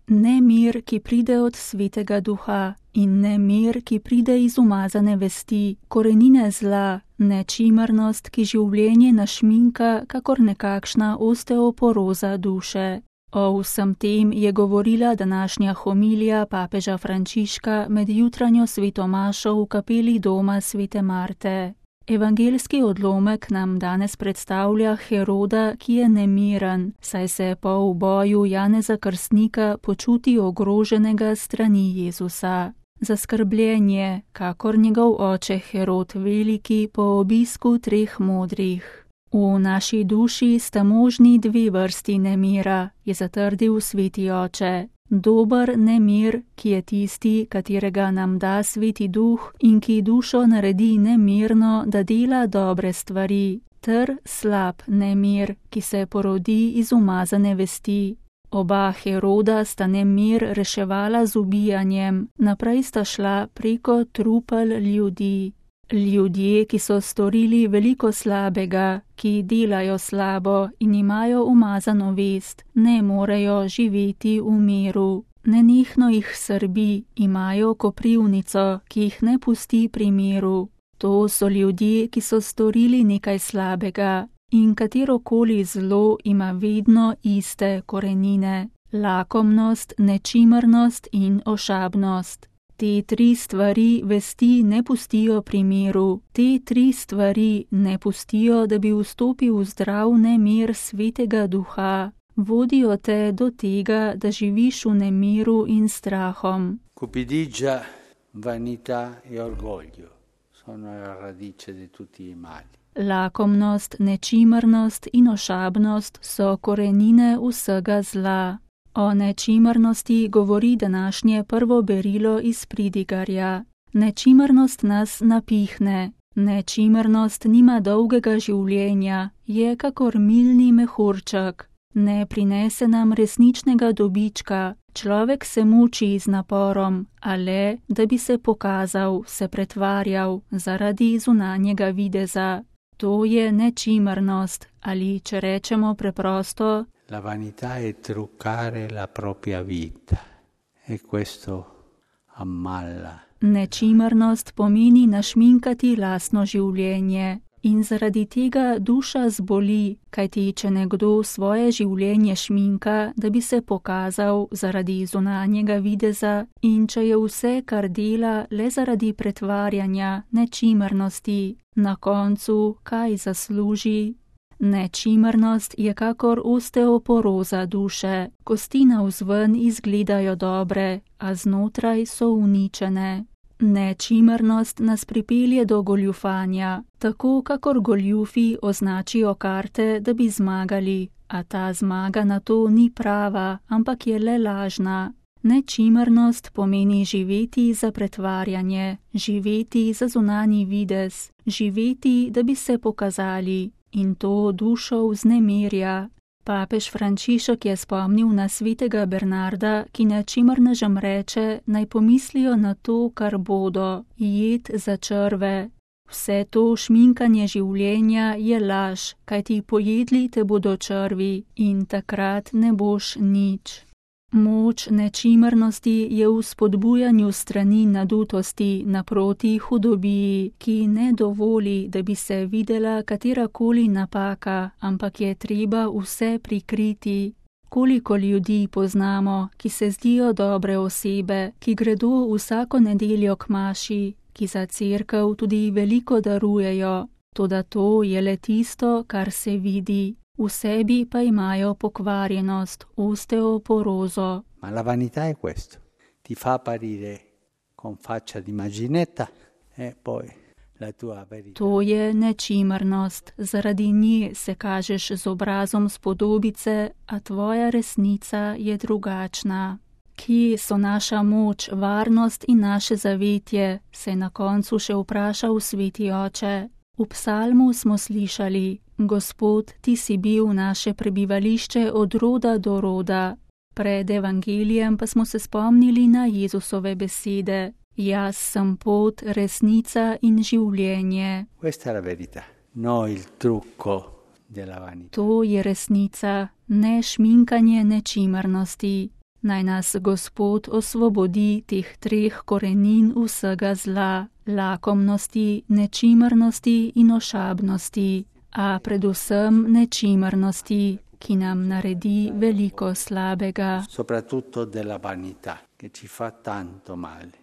Ne mir, ki pride od Svetega Duha, in ne mir, ki pride iz umazane vesti, korenine zla, ne čimernost, ki življenje našminka, kakor nekakšna osteoporoza duše. O vsem tem je govorila današnja homilija papeža Frančiška med jutranjo svetomašo v kapeli doma svete Marte. Evangeljski odlomek nam danes predstavlja Heroda, ki je nemiren, saj se po uboju Janeza Krstnika počuti ogroženega strani Jezusa. Zaskrbljen je, kakor njegov oče Herod Veliki po obisku 3 modrih. V naši duši sta možni 2 vrsti nemira, je zatrdil sveti oče. Dober nemir, ki je tisti, katerega nam da sveti duh in ki dušo naredi nemirno, da dela dobre stvari, ter slab nemir, ki se porodi iz umazane vesti. Oba Heroda sta nemir reševala z ubijanjem, naprej sta šla preko trupel ljudi. Ljudje, ki so storili veliko slabega, ki delajo slabo in imajo umazano vest, ne morejo živeti v miru. Nenehno jih srbi, imajo koprivnico, ki jih ne pusti pri miru. To so ljudje, ki so storili nekaj slabega in katerokoli zlo ima vedno iste korenine: lakomnost, nečimrnost in ošabnost. Te 3 stvari vesti ne pustijo pri miru, te 3 stvari ne pustijo, da bi vstopil v zdrav nemir Svetega Duha. Vodijo te do tega, da živiš v nemiru in strahom. Cupidigia, vanità e orgoglio sono la radice di tutti i mali. Lakomnost, nečimrnost in ošabnost so korenine vsega zla. O nečimrnosti govori današnje prvo berilo iz Pridigarja. Nečimrnost nas napihne. Nečimrnost nima dolgega življenja, je kakor milni mehurček. Ne prinese nam resničnega dobička. Človek se muči z naporom, a le, da bi se pokazal, se pretvarjal zaradi zunanjega videza. To je nečimrnost, ali če rečemo preprosto, la vanità è truccare la propria vita e questo ammala. Nečimrnost pomeni našminkati lastno življenje in zaradi tega duša zboli, kajti če nekdo svoje življenje šminka, da bi se pokazal zaradi zunanjega videza, in če je vse, kar dela, le zaradi pretvarjanja, nečimrnosti, na koncu kaj zasluži? Nečimrnost je kakor osteoporoza duše. Kosti navzven izgledajo dobre, a znotraj so uničene. Nečimrnost nas pripelje do goljufanja, tako kakor goljufi označijo karte, da bi zmagali, a ta zmaga na to ni prava, ampak je le lažna. Nečimrnost pomeni živeti za pretvarjanje, živeti za zunanji videz, živeti, da bi se pokazali. In to dušo vznemirja. Papež Frančišek je spomnil na svetega Bernarda, ki nečimrnežem reče, naj pomislijo na to, kar bodo, jed za črve. Vse to šminkanje življenja je laž, kajti pojedli te bodo črvi in takrat ne boš nič. Moč nečimrnosti je v spodbujanju strani nadutosti naproti hudobiji, ki ne dovoli, da bi se videla katerakoli napaka, ampak je treba vse prikriti. Koliko ljudi poznamo, ki se zdijo dobre osebe, ki gredo vsako nedeljo k maši, ki za cerkev tudi veliko darujejo, toda to je le tisto, kar se vidi. V sebi pa imajo pokvarjenost, osteoporozo. Ma la vanità è questo. Ti fa apparire con faccia di immaginetta e poi la tua verità. To je nečimrnost. Zaradi nje se kažeš z obrazom spodobice, a tvoja resnica je drugačna. Kje so naša moč, varnost in naše zavetje, se je na koncu še vprašal sveti oče. V psalmu smo slišali: Gospod, ti si bil naše prebivališče od roda do roda. Pred evangelijem pa smo se spomnili na Jezusove besede: Jaz sem pot, resnica in življenje. Questa è la verità, no il trucco della vanità. To je resnica, ne šminkanje nečimrnosti. Naj nas Gospod osvobodi teh 3 korenin vsega zla, lakomnosti, nečimrnosti in ošabnosti, a predvsem nečimrnosti, ki nam naredi veliko slabega. Soprattutto della vanità, che ci fa tanto male.